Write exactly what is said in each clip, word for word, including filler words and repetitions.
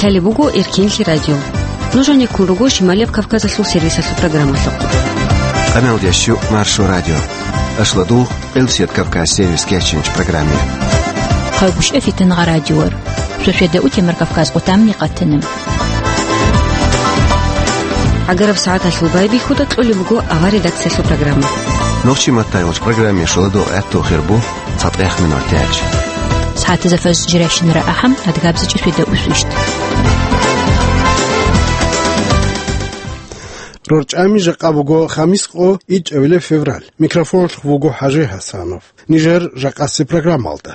Лъалеб буго Эркенлъи радио. Нуж гьанеккун руго Шималияб Кавказалъул сервисалъул программалъухъ. Къаналдиящу Маршо радио. Ашладул Элсият Кавказ сервис кечинч программе. Хъайбушев Фитнагъа радиор. Шошведа утемар Кавказ къутамни къатана. ГӀагараб сагӀаталъул байбихьуда кьолеб буго авар редакциялъул программа. Нохчи маттайолч программе шуладо гӀатту хирбу цатӀех минор тяч. СагӀатазафаз жиращинара ахӀам адгабзичӀи шведа усвищт. РорчӀами жакъа буго хамис къо ичӀабилеб февраль. Микрофонлъ вуго ХӀажи ХӀасанов. Нижер жакъаси программалда.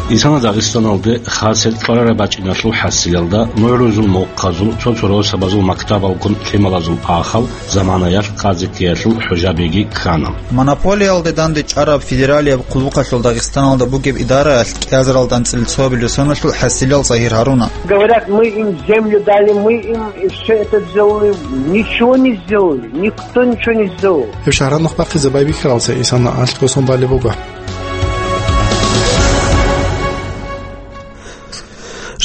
Исана Дагъистаналде хасел кьварараб бачӀиналъул хӀасилалда мугӀрузул мухъазул, цо-цо росабазул мактабалгун лъималазул ахал заманаялъ къазиккиялъул хӀужабиги ккана. Монополиялде данде чӀараб федералияб хъулухъалъул Дагъистаналда бугеб идараялъ кӀиазаралда анцӀила цоабилеб соналъул хӀасилал Загьир Гьаруна. Говорят, мы им землю дали, мы им все это сделали. Ничего не сделали, никто ничего не сделал. Гьеб шагьаралда нух бахъизе байбихьаралца Исана алъго сон балеб буго.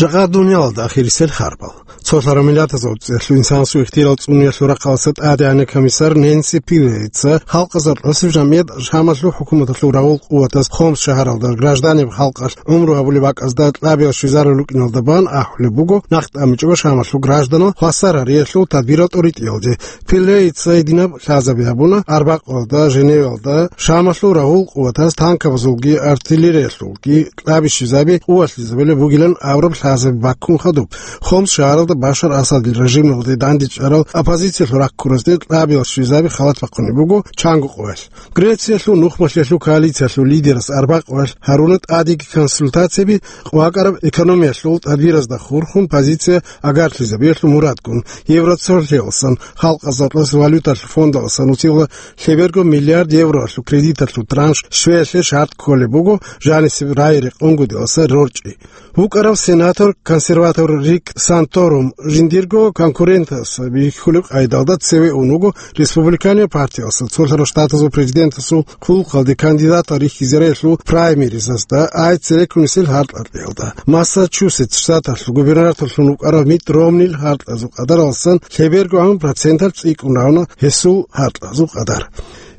Жакъа дуниялалда ахирисел харбал. Цолъараб миллатазул цӀехлъу инсанасул ихтияр цӀуниялъул рахъалъа тӀадегӀанав комиссар Ненси Пилейца халкъазул гӀусиб жамгӀият Шамалъул хӀукуматалъул рагъул къуватаз Хомс шагьаралда гражданиб халкъалъ гӀумру гьабулеб бакӀазда кьабиял щвезарал рукӀиналда бан ахӀулеб буго, нахъ тӀамичӀого Шамалъул гражданал хвасар гьариялъул тадбирал тӀоритӀиялде. Пилейца гьединаб лъазаби гьабуна: арбакъуялда, Женевалда Шамалъул рагъул къуватаз танкабазулги артиллериялъулги кьаби щвезаби къувалъизабулеб бугилан абураб лъазаби баккун хадуб. Хомс шагьаралда Башар Асадил режималде дандечӀарал оппозициялъул раккуразде кьабиял щвезаби халат бахъунеб буго чанго къоялъ. Грециялъул нухмалъиялъул коалициялъул лидерас арбакъоялъ гьаруна тӀадеги консультацияби къвакӀараб экономиялъул тадбиразда хурхун позиция агарлъизабиялъул мурадгун Евроцолъиялсан, халкъазул валюталъул фондалсан нусила лъеберго миллиард евроялъул кредиталъул транш щвеялъе шарт кколеб буго жанисеб рай-рекъон гудиялса рорчӀи. ВукӀарав сенатор, консерватор Рик Санторум жиндирго конкурентас бихьулеб къайдалда цеве ун вуго республиканиял партиялса, цолъарав штатазул президентасул хъулухъалде кандидатал рихьизариялъул праймеризазда, ай цереккунисел гьаркьалъиялда. Массачусетс штаталъул губернаторлъун вукӀарав Митт Ромнил гьаркьазул къадаралсан лъеберго гӀан проценталъ цӀикӀкӀун равна гьесул гьаркьазул къадар.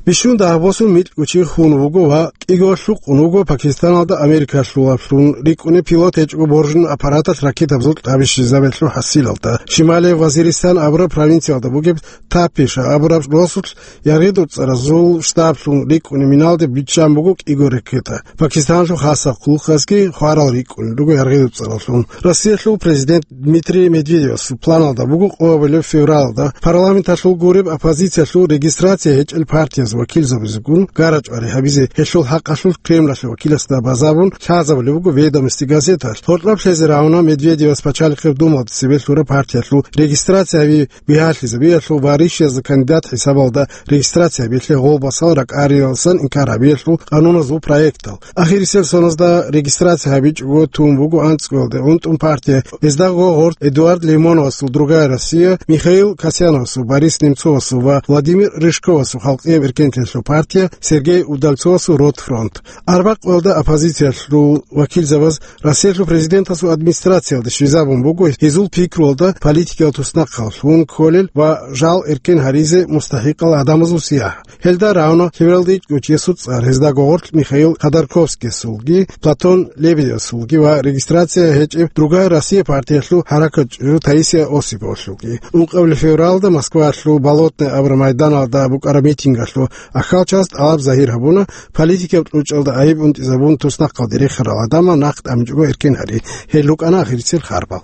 Бищун дагьаб босун микьго чи хун вуго ва кӀиго лъукъун вуго Пакистаналда Америкалъулаблъун рикӀкӀунеб пилот гьечӀого боржун аппараталъ ракетабазул кьаби щвезабиялъул хӀасилалда. Шималияб Вазиристан абураб провинциялда бугеб Тапиша абураб росулъ яргъи-дуцӀаразул штаблъун рикӀкӀунеб миналде биччан буго кӀиго ракета. Пакистаналъул хасаб хъулухъазги хварал рикӀкӀунел руго яргъи-дуцӀараллъун. Россиялъул президент Дмитрий Медведевасул планалда буго къоабилеб февралда парламенталъул гуреб оппозициялъул регистрация гьечӀел партияз вакилзабазегун гарачӀвари гьабизе гьелъул хӀакъалъулъ Кремлалъе вакиласда базабун лъазабулеб буго «Ведомости» газеталъ. Гьоркьоб лъезе рагӀуна Медведевас Пачалихъеб Думалда цебе лъураб партиялъул регистрация гьаби бигьалъизабиялъул ва ришиязда кандидат хӀисабалда регистрация гьабиялъе гъолбасал ракӀариялсан инкар гьабиялъул къануназул проектал. Ахирисел соназда регистрация гьабичӀого тун буго анцӀгоялде гӀунтӀун партия. Гьезда гъо гъоркь Эдуард Лимоновасул «Другая Россия», Михаил Касьяновасул, Борис Немцовасул ва Владимир Рыжковасул «Халкъияб эркенлъиялъул партия», Сергей Удальцовасул «Ротфронт». Арбакъоялда оппозициялъул вакилзабаз Россиялъул президентасул администрациялде щвезабун буго гьезул пикруялда политикиял туснахъаллъун кколел ва жал эркен гьаризе мустахӀикъал гӀадамазул сиягӀ. Гьелда рагӀуна лъебералда ичӀго чиясул цӀар, гьезда гъоркь Михаил Ходорковскиясулги, Платон Лебедевасулги ва регистрация гьечӀеб «Другая Россия» партиялъул хӀаракатчӀужу Таисия Осиповалъулги. Ункъабилеб февралда Москваялъул Болотное абураб майданалда букӀараб митингалъул ахьалчияс тӀалаб загьир гьабуна, политикаб кьучӀалда гӀайиб унтӀизабун туснахъалде рехарал гӀадамал нахъ тӀамичӀого эркен гьари. Гьел рукӀана ахирисел харбал.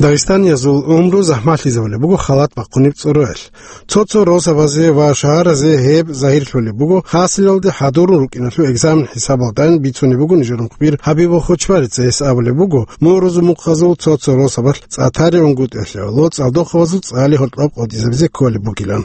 Дагъистаниязул гӀумру захӀмалъизабулеб буго халат бахъунеб цӀуруялъ. Цо-цо росабазе ва шагьаразе гьеб загьирлъулеб буго, хасилалде хӀадурун рукӀиналъул экзамен хӀисабалдайин бицунеб буго нижер мухбир ХӀабибул Хочбарица. Гьес абулеб буго, мугӀрузул мухъазул цо-цо росабалъ цӀа тари унгутӀиялъе гӀоло цӀалдохъабазул цӀали гьоркьоб къотӀизабизе кколеб бугилан.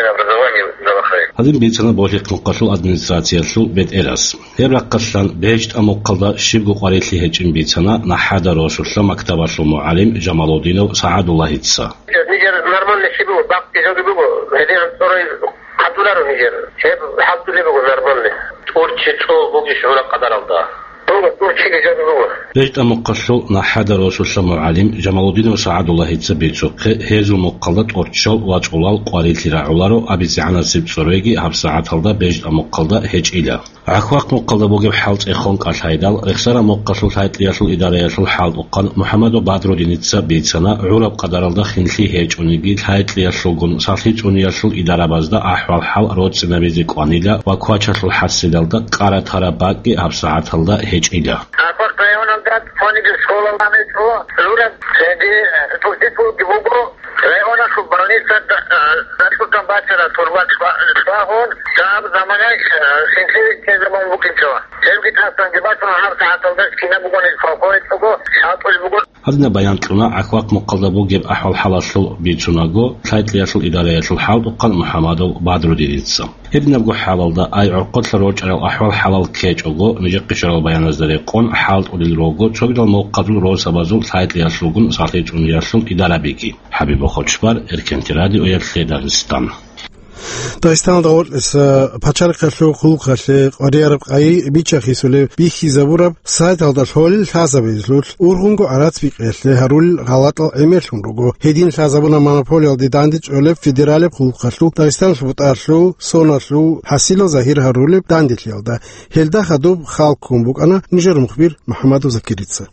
общественное образование Залахаев. Гьадин бицана Болъихъ мухъалъул администрациялъул бетӀерас. Гьеб рахъалъан БегьтӀа мухъалда щибго къварилъи гьечӀин бицана НахӀада росулъа мактабалъул мугӀалим Жамалудинов СагӀадуллагьица. Нижер нормальный щиб буго, бакъги жоги буго, гьедин анцӀорай гьабуларо нижер. Гьеб хӀалтӀулеб буго нормальный. ТӀурччи цӀул бугищ гӀураб къадаралда? Буго, тӀурччиги жоги буго. БегьтӀа мухъалъул НахӀада росулъа мугӀалим Жамалудинов СагӀадуллагьица бицухъе, гьезул мухъалда тӀорччал ва цӀулал къварилъи рагӀуларо абицегӀанасеб цӀуреги гьабсагӀаталда БегьтӀа мухъалда гьечӀила. ГӀахьвахъ мухъалда бугеб хӀал цӀехон кӀалъайдал, Рехсара мухъалъул лъайтӀлъиялъул идараялъул хӀалтӀухъан МухӀамадов Бадрудиница бицана, гӀураб къадаралда хинлъи гьечӀониги, лъайтӀлъиялъулгун сахлъи цӀуниялъул идарабазда ахӀвал-хӀал роцӀцӀинабизе кӀванила ва квачалъул хӀасилалда кӀара тараб бакӀги гьабсагӀаталда гьечӀила. ГӀахьвахъ районалда цониги школа ламецӀо гӀураб, цоги, э, тӀурччи цӀулги буго. Районалъул больницада, э, ракьутан бачара турба чӀва-, чӀвагӀун, гьаб заманаялъ, э, хинлъи виччине заман букӀинчӀо. Гьебги тасанги бачун, гьаб сагӀаталда кина бугони, колхозалъго хӀалтӀулеб буго. Гьадинаб баян кьуна ГӀахьвахъ мухъалда бугеб ахӀвал-хӀалалъул бицунаго лъайтӀлъиялъул идараялъул хӀалтӀухъан МухӀамадов Бадрудиница. Гьебинабго хӀалалда ай гӀорхъолъа рорчӀарал ахӀвал-хӀалал ккечӀого, нижехъе щварал баяназда рекъон хӀалтӀулел руго цогидал мухъазул росабазул лъайтӀлъиялъулгун сахлъи цӀуниялъул идарабиги. ХӀабиб Бохочбар, Эркенти радиоялъе Дагъистан. Дагъистаналда гъоркьиса пачалихъалъул хъулухъалъе къварияраб къайи бича-хисулеб бихьизабураб сайталда лъолел лъазабиялъулъ ургъунго гӀарац бикъиялъе гьарулел гъалатӀал гӀемерлъун руго. Гьедин лъазабуна монополиялде дандечӀолеб федералияб хъулухъалъул Дагъистаналъул БутӀалъул, соналъул, хӀасилал загьир гьарулеб данделъиялда. Гьелда хадуб хал ккун букӀана нижер мухбир МухӀамадов Закирица.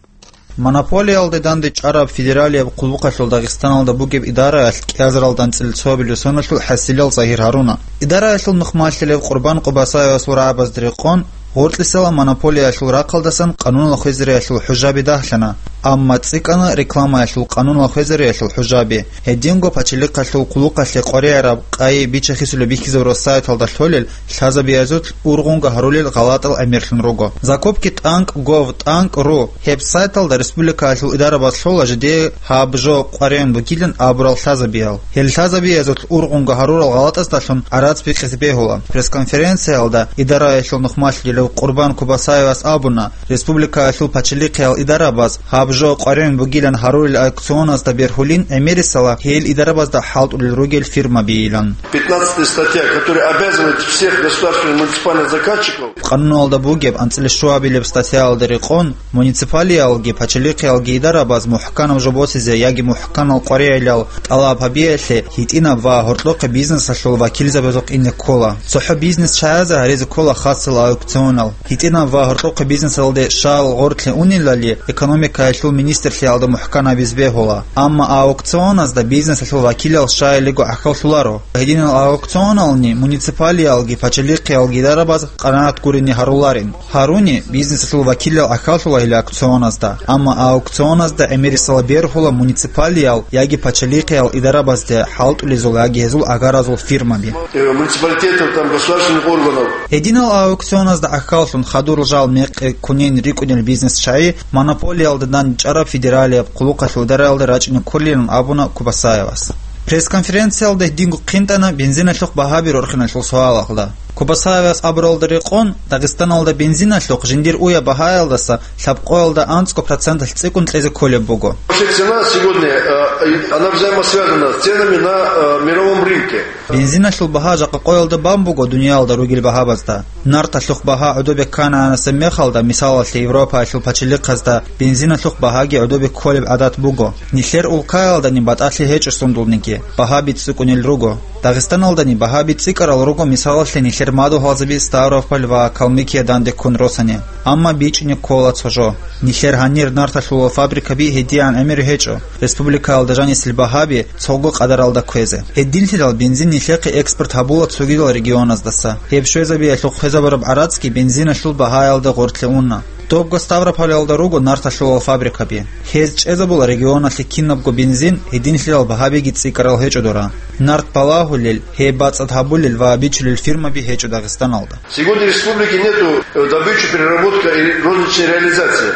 Монополиялде дандечӀараб федералияб хъулухъалъул Дагъистаналда бугеб идараялъ кӀиазаралда анцӀила цоабилеб соналъул хӀасилал загьир гьаруна. Идараялъул нухмалъилев Къурбан Къубасаевасул рагӀабазда рекъон, гъоркьисала монополиялъул рахъалдасан къануналъ хвезариялъул хӀужаби дагьлъана, амма цӀикӀкӀана рекламаялъул къануналъ хвезариялъул хӀужаби. Гьединго пачалихъалъул хъулухъалъе къварияраб къайи бича-хисулеб бихьизабураб сайталда лъолел лъазабиязулъ ургъунго гьарулел гъалатӀал гӀемерлъун руго. Закупки тӀанкӀ гов тӀанкӀ ру. Гьеб сайталда республикаялъул идарабаз лъола жидее гьаб жо къваригӀун бугилан абурал лъазабиял. Гьел лъазабиязулъ ургъунго гьарурал гъалатӀаздалъун гӀарац бикъизе бегьула. Пресс-конференциялда идараялъул нухмалъилев Къурбан Кубасаевас абуна, республикаялъул пачалихъиял идарабаз гьаб жо къваригӀун бугилан гьарулел аукционазда бергьулин гӀемерисела гьел идарабазда хӀалтӀулел ругел фирмабийилан. Пятнадцатая статья, которая обязывает всех государственных муниципальных заказчиков. Къануналда бугеб анцӀила щуабилеб статьяялда рекъон, муниципалиялги пачалихъиялги идарабаз мухӀканаб жо босизе яги мухӀканал къваригӀелал тӀалаб гьабиялъе гьитӀинаб ва гьоркьохъе бизнесалъул вакилзабазухъ ине ккола. ЦохӀо бизнес чагӀазе гьаризе ккола хасал аукционал. ГьитӀинаб ва гьоркьохъе бизнесалде щал гъорлъе унелали, экономикаялъул министрлъиялда мухӀкан гьабизе бегьула. Амма аукционазда бизнесалъул вакилал щайилего гӀахьаллъуларо. Гьединал аукционални муниципалиялги пачалихъиялги идарабаз къанагӀат гурине гьаруларин. Гьаруни бизнесалъул вакилал гӀахьаллъулагьила аукционазда. Амма аукционазда гӀемерисела бергьула муниципалиял яги пачалихъиял идарабазде хӀалтӀулезул яги гьезул агаразул фирмаби. Э, муниципалитетов, там, государственных органов. Гьединал аукционазда гӀахьаллъун хадур жал мекъи кунин рикӀкӀунел бизнес чагӀи монополиялда дандчӀараб федералияб хъулухъалъул дараялда рачӀине кколилан абуна Кубасаевас. Пресс-конференциялда гьединго хъинтӀана бензиналъухъ багьаби рорхиналъул суалалда. Кубасаевас абуралда рекъон, Дагъистаналда бензиналъухъ жиндир уяб багьаялдаса лъабкъоялда анцӀго проценталъ цӀикӀкӀун кьезе кколеб буго. Вообще цена сегодня, э, она взаимосвязана с ценами на, э, мировом рынке. Бензиналъул багьа жакъа къоялда бан буго дуниялда ругел багьабазда. Нарталъухъ багьа гӀодобе ккананасеб мехалда, мисалалъе, Европаялъул пачалихъазда бензиналъухъ багьаги гӀодобе кколеб гӀадат буго. Нилъер улкаялдани батӀалъи гьечӀо сундулниги, багьаби цӀикӀкӀунел руго. Дагъистаналдани багьаби цӀикӀкӀарал руго, мисалалъе, нилъер мадугьалзаби Ставрополь ва Калмыкия данде ккун росани. Амма бичӀчӀине ккола цо жо. Нилъер гьанир нарталъулал фабрикаби гьедигӀан гӀемер гьечӀо. Республикаялда жанисел багьаби цого къадаралда кквезе. Гьединлъидал бензин нилъехъе экспорт гьабула цогидал регионаздаса. Гьеб щвезабиялъухъ хвезабураб гӀарацги бензиналъул багьаялда гъоркье уна. Добго Ставрополялда руго нарталъулал фабрикаби. Гьез чӀезабула регионалъе кинабго бензин, гьединлъидал багьабиги цӀикӀкӀарал гьечӀо дора. Нарт балагьулел, гьеб бацӀцӀад гьабулел ва бичулел фирмаби гьечӀо Дагъистаналда. Сегодня в республике нету, э, добычи, переработка и розничной реализации.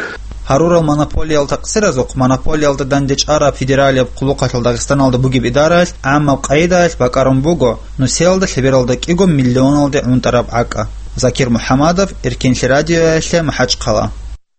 Гьарурал монополиял такъсиразухъ монополиялда дандечӀараб федералияб хъулухъалъул Дагъистаналда бугеб идараялъ гӀаммаб къайдаялъ бакӀарун буго нусиялда лъебералда кӀиго миллионалде гӀунтӀараб гӀакӀа. Закир МухӀамадов, Эркенлъи радиоялъе, МахӀачхъала.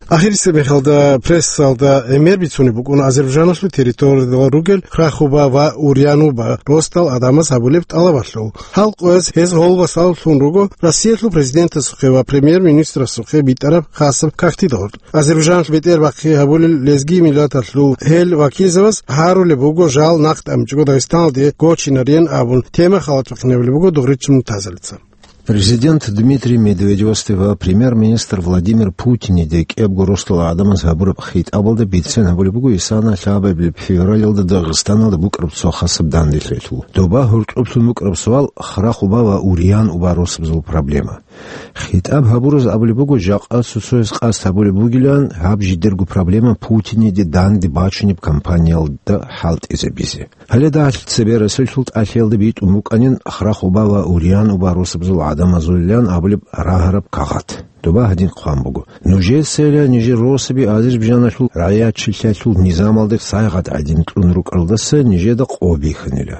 Ахирисеб мехалда прессалда гӀемер бицунеб букӀун Азербайджаналъул территориялда ругел Храхуба ва Урьянуба росдал гӀадамаз гьабулеб тӀалабалъул. Гьал къояз гьез гьолбасаллъун руго Россиялъул президентасухъе ва премьер-министрасухъе битӀараб хасаб кагътидал гъоркь. Азербайджаналъ бетӀербахъи гьабулел лезги миллаталъул гьел вакилзабаз гьарулеб буго жал нахъ тӀамичӀого Дагъистаналде гочинарин абун, тема халатухъин гьабулеб буго Дугъричил Мунтазалица. Президент Дмитрий Медведевасде ва премьер-министр Владимир Путиниде кӀиябго росдал гӀадамаз гьабураб хитӀабалда бицен гьабулеб буго исана лъабабилеб февралалда Дагъистаналда букӀараб цо хасаб данделъиялъул. Доба гьоркьоблъун букӀараб суал Храхуба ва Урьянуба росабазул проблема. ХитӀаб гьабураз абулеб буго, жакъа цо-цояз къасд гьабулеб бугилан гьаб жидерго проблема Путиниде данде бачунеб кампаниялда хӀалтӀизабизе. Гьале дагьалъ цебе Россиялъул тӀалъиялда битӀун букӀанин Храхуба ва Урьянуба росабазул гӀадамазулилан абулеб рагьараб кагъат. Доба гьадин хъван буго: «Нужецайила нижер росаби Азербайджаналъул рагӀиятчилъиялъул низамалде сайгъат гӀадин кьун рукӀаралдаса нижеда къо бихьанила».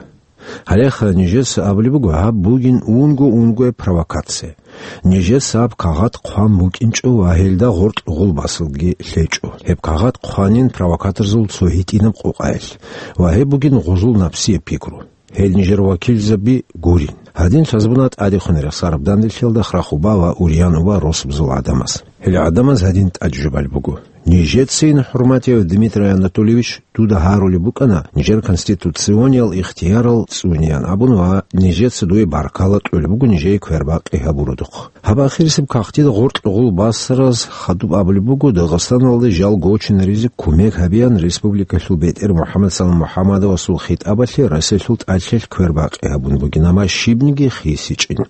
Гьалеха нижеца абулеб буго, гьаб бугин унго-унгояб провокация. Нижеца гьаб кагъат хъван букӀинчӀо ва гьелда гъоркь гъулбасалги лъечӀо. Гьеб кагъат хъванин провокаторзул цо гьитӀинаб къокъаялъ. Ва гьеб бугин гъузул напсияб пикру. Гьел нижер вакилзаби гурин. Гьадин лъазабуна тӀадехун рехсараб данделъиялда Храхуба ва Урьянуба росабазул гӀадамаз. Гьел гӀадамаз гьадин тӀаде жубалеб буго: «Нижецин, хӀурматияв Дмитрий Анатольевич, дуда гьарулеб букӀана нижер конституциониял ихтиярал цӀунеян абун ва нижеца дуе баркала кьолеб буго нижее квербакъи гьабуродухъ». Гьаб ахирисеб кагътида гъоркь гъулбасараз хадуб абулеб буго, Дагъистаналде жал гочинаризе кумек гьабеян республикалъул бетӀер МухӀаммад Салам МухӀаммадовасул хитӀабалъе Россиялъул тӀалъиялъ квербакъи гьабун бугин, амма щибниги хисичӀин.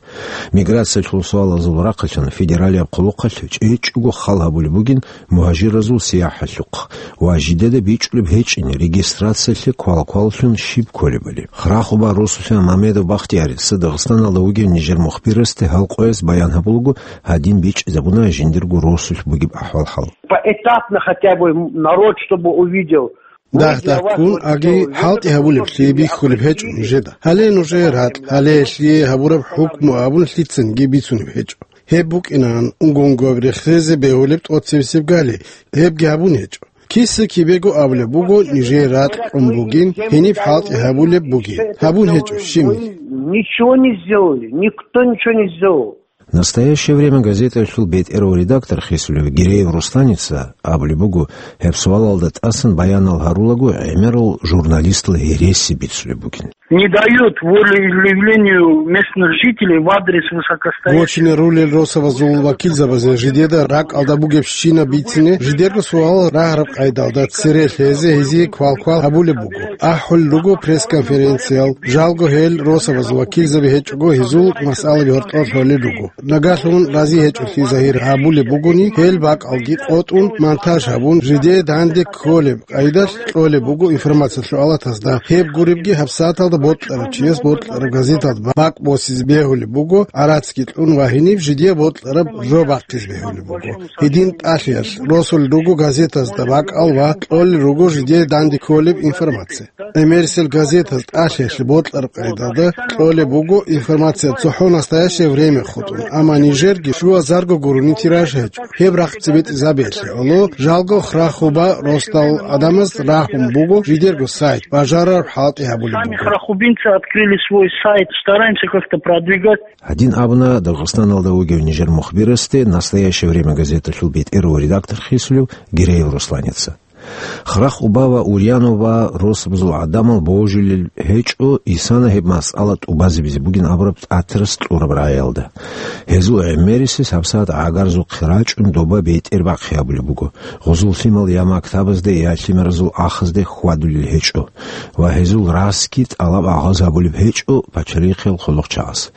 Миграциялъул суалазул рахъалъан федералияб хъулухъалъ чӀечӀого хал гьабулеб бугин мугьажиразул сияхӀалъухъ ва жидеда бичӀчӀулеб гьечӀин регистрациялъе квалкваллъун щиб кколебали. Храхуба росулъа Мамедов Бахтиярица Дагъистаналда вугев нижер мухбирасде гьал къояз баян гьабулаго, гьадин бичӀчӀизабуна жиндирго росулъ бугеб ахӀвал-хӀал. Поэтапно хотя бы народ, чтобы увидел. Дагь-дагьккун аги хӀалтӀи гьабулеблъи бихьулеб гьечӀо нужеда. Гьале нужее ракь, гьале гьелъие гьабураб хӀукму абун лъицаниги бицунеб гьечӀо. Гьеб букӀинан, унго-унгояб рехсезе бегьулеб тӀоцебесеб гали, гьебги гьабун гьечӀо. Киса-кибего абулеб буго, нижее ракь кьун бугин, гьениб хӀалтӀи гьабулеб бугин. Гьабун гьечӀо щибниги. Ничего не сделали, никто ничего не сделал. «Настоящее время» газеталъул бетӀерав редактор хисулев Гиреев Русланица абулеб буго, гьеб суалалда тӀасан баянал гьарулаго гӀемерал журналистал гьереси бицулеб бугин. Не дают волеизъявлению местных жителей в адрес высокостоящих. Гочине рулел росабазул вакилзабазе жидеда ракӀалда бугебщинаб бицине жидерго суал рагьараб къайдалда цере лъезе гьезие квалквал гьабулеб буго. АхӀулел руго пресс-конференциял, жалго гьел росабазул вакилзаби гьечӀого гьезул масъалаби гьоркьор лъолел руго. Нагагьлъун рази гьечӀолъи загьир гьабулеб бугони, гьел бакӀалги къотӀун, монтаж гьабун, жидее данде кколеб къайдалъ кьолеб буго информациялъул алатазда. Гьеб гуребги гьабсагӀаталда бокьарав чияс бокьараб газеталда бакӀ босизе бегьулеб буго, гӀарацги кьун ва гьениб жидее бокьараб жо бахъизе бегьулеб буго. Гьедин тӀалъиялъ росулел руго газетазда бакӀал ва кьолел руго жидее данде кколеб информация. ГӀемерисел газетаз тӀалъиялъе бокьараб къайдалда кьолеб буго информация цохӀо «Настоящее время» хутӀун, амма нижерги щуазарго гурони тираж гьечӀо. Гьеб рахъ цебетӀизабиялъе гӀоло жалго хра-хуба росдал гӀадамаз рагьун буго жидерго сайт, бажарараб хӀалтӀи гьабулеб буго. Храхубинцы открыли свой сайт, стараемся как-то продвигать. Гьадин абуна Дагъистаналда вугев нижер мухбирасде «Настоящее время» газеталъул бетӀерав редактор хисулев Гиреев Русланица. Храхуба ва Урьянова росабазул гӀадамал божилел гьечӀо, исана гьеб масъала тӀубазабизе бугин абураб тӀатирас кьураб рагӀиялда. Гьезул гӀемерисез гьабсагӀат гӀагарзухъе рачӀун доба бетӀер бахъи гьабулеб буго. Гъузул лъимал я мактабазде, я лъимеразул ахазде хьвадулел гьечӀо ва гьезул расги тӀалаб-агъаз гьабулеб гьечӀо пачалихъел хъулухъчагӀаз.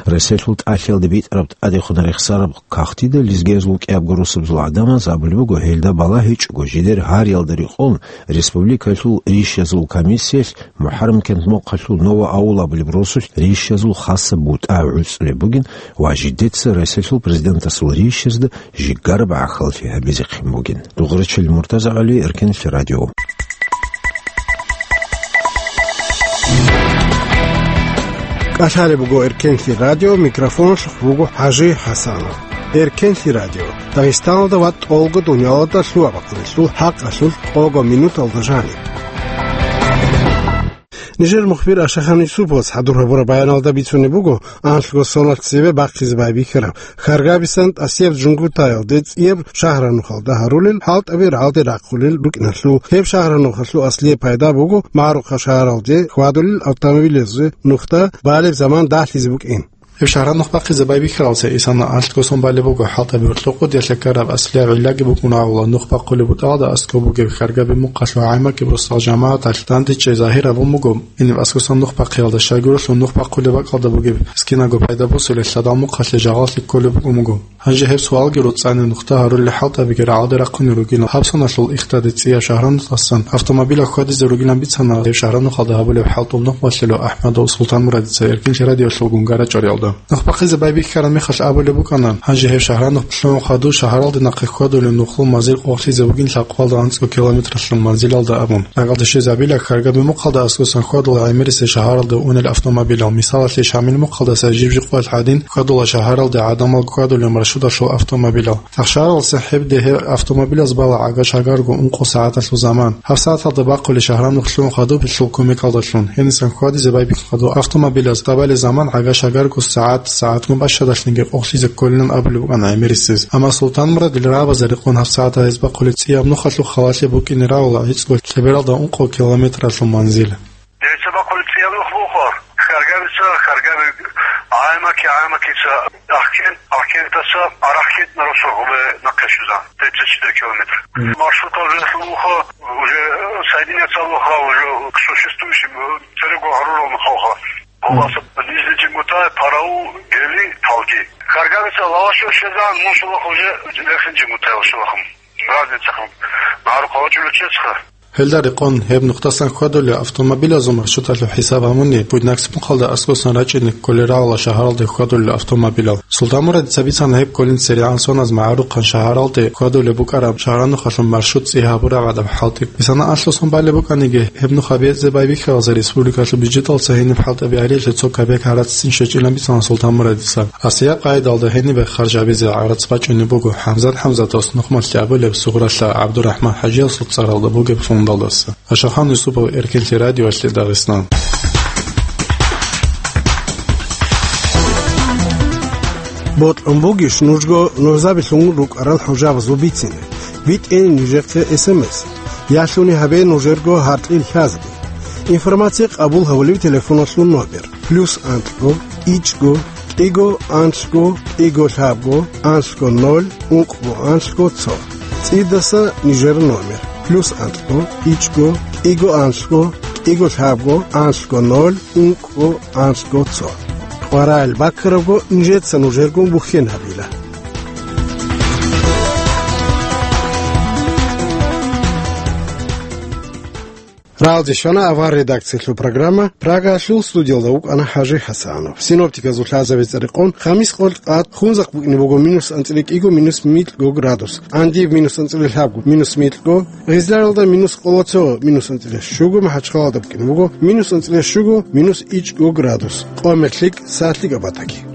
Ресалъул тӀалъиялда битӀараб тӀадехун рехсараб кагътида лезгиязул кӀиябго росабазул гӀадамаз абулеб буго, гьелда балагь гьечӀого, жидер гьариялда рекъон республикалъул ришязул комиссиялъ МухӀаррам кент мухъалъул Нова-Аул абулеб росулъ ришязул хасаб бутӀа гӀуцӀулеб бугин ва жидеца Ресалъул президентасул ришазда жигараб гӀахьаллъи гьабизехъин бугин. Дугърачил Муртаза ГӀали, Эркенлъи радио. КӀалъалеб буго Эркенлъи радио, микрофоналъухъ вуго ХӀажи ХӀасанов. Эркенлъи радио, Дагъистаналда ва тӀолго дунялалда лъугьа-бахъуналъул хӀакъалъулъ къого минуталда жаниб. Нижер мухбир Ашахан Юсуповас хӀадур гьабураб баяналда бицунеб буго, анлъго соналъ цебе бахъизе байбихьараб Хьаргабисан тӀасияб Жунгутаялде цӀияб шагьранухалда гьарулел хӀалтӀаби рагӀалде рахъулел рукӀиналъул. Гьеб шагьранухалъул аслияб пайда буго МагӀарухъа шагьаралде хьвадулел автомобилазе нухда балеб заман дагьлъизе букӀин. Гьеб шагьранухъ бахъизе байбихьаралца исана анлъго сон балеб буго хӀалтӀаби гьоркьохъо диялъа ккараб аслияб гӀиллаги букӀун гьавула нухъ бахъулеб бутӀалда аскӀоб бугеб Хьаргаби мухъалъул гӀамакӀиб росдал жамагӀаталъ дандечӀей загьир гьабун буго. Гьениб аскӀосан нухъ бахъиялда щайгурелъул нухъ бахъулеб бакӀалда бугеб скинаго пайда босулел лъадал мухъалъе жагъаллъи кколеб букӀун буго. Гьанже гьеб суалги роцӀцӀанин нухда гьарулел хӀалтӀабиги рагӀалде рахъунел ругилан. Гьабсаналъул ихтаде цӀияб шагьранухъасан автомобилаб хьвадизе ругилан бицана гьеб шагьранухъалда гьабулеб хӀалтӀул нухмалъулев АхӀмадов Султанмурадица Эркенлъи радиолъулгун гара чӀвариялда. Нухбахъизе байбихьараб мехалъ абулеб букӀана, гьанже гьеб шагьранухъ лъугӀун хадув шагьаралде нахъе хьвадулев нухлул манзил къокълъизе вугин лъабкъоялда анцӀго километралъул манзилалда абун. Рагъалде щвезабила Хьаргаби мухъалда аскӀосан хьвадула гӀемерисел шагьаралде унел автомобилал, мисалалъе, Шамил мухъалдаса жиб-жиб къоялъ гьадин хьвадула шагьаралде гӀадамал хьвадулел маршруталъул автомобилал. Тахшаралса гьебде гьеб автомобилаз бала гӀага-шагарго ункъо сагӀаталъул заман. Гьаб сагӀаталда бахъулеб шагьранухъ лъугӀун хадуб гьелъул кумекалдалъун. Гьенисан хьвадизе байбихьун хадуб автомобилаз тӀабалеб заман гӀага-шагарго сагӀат, сагӀатгун бащадалъинги къокълъизе кколилан абулеб букӀана гӀемерисез. Амма Султанмурадил рагӀабазда рекъон гьаб сагӀаталда гьез бахъулеб цӀияб нухалъул халалъе букӀине рагӀула гӀицӀго лъебералда ункъо километралъул манзил. Дица бахъулеб цӀияб нух буго, Хьаргабица, Хьаргаби, ГӀаймаки, ГӀаймакица, Ахкент, Ахкентаса, Арахкент на росо гъубе нахъе щвезан, тридцать четыре километр. Мгм. Маршрутал рехун вуха, уже соединяться вуха, уже к существующим, э, церего гъарурал нухалха. Мгм. Гъубаса Нижний Жигмутай, Параул, Гели, Талги. Хьаргабица лавашо щвезан, мун шулахъ уже Верхний Жигмутай шулахъун. Разница хъун. Марухъа вачӀулев чесха. Гьелда рекъон, гьеб нухдасан хьвадулел автомобилазул маршруталъул хӀисаб гьабуни, Буйнакск мухъалда аскӀосан рачӀине кколел рагӀула шагьаралде хьвадулел автомобилал. Султанмурадица бицана гьеб кколин церегӀан соназ магӀарухъан шагьаралде хьвадулеб букӀараб шагьранухалъул маршрут цӀи гьабураб гӀадаб хӀалтӀи. Бицана анлъго сон балеб букӀаниги, гьеб нух гьабизе байбихьаралца республикалъул бюджеталца гьениб хӀалтӀаби гьариялъе цо кабек гӀараццин щвечӀилан бицана Султанмурадица. Аслияб къайдалда гьенибе харж гьабизе гӀарац бачӀунеб буго ХӀамзат ХӀамзатовас нухмалъе абулеб Сугъралъа ГӀабдурахӀман ХӀажиясул цӀаралда бугеб фондалдаса. Ашахан Юсупов, Эркенлъи радиоялъе, Дагъистан. Бокьун бугищ нужго нужзабилъун рукӀарал хӀужабазул бицине? БитӀе нижехъе эс эм эс. Ялъуни гьабе нужерго гьаркьил лъазги. Информация къабул гьавулев телефоналъул номер: плюс анлъго, ичӀго, кӀиго, анлъго, кӀиго, лъабго, анлъго, ноль, ункъго, анлъго, цо. ЦӀидаса нижер номер: плюс анлъго, ичӀго, кӀиго, анлъго, кӀиго, лъабго, анлъго, ноль, ункъго, анлъго, цо. Варагьил баккарабго нижеца нужергун бухьен гьабила. Ралде щвана авар редакциялъул программа, Прагаялъул студиялда вукӀана ХӀажи ХӀасанов. Синоптиказул лъазабица рекъон, хамис къолъ къад Хунзахъ букӀине буго минус анцӀила кӀиго, минус микьго градус, Андив минус анцӀила лъабго, минус микьго, Гъизларалда минус къолоцо, минус анцӀила щуго, МахӀачхъалалда букӀине буго минус анцӀила щуго, минус ичӀго градус, къо мехлъик сахлъи габатаги.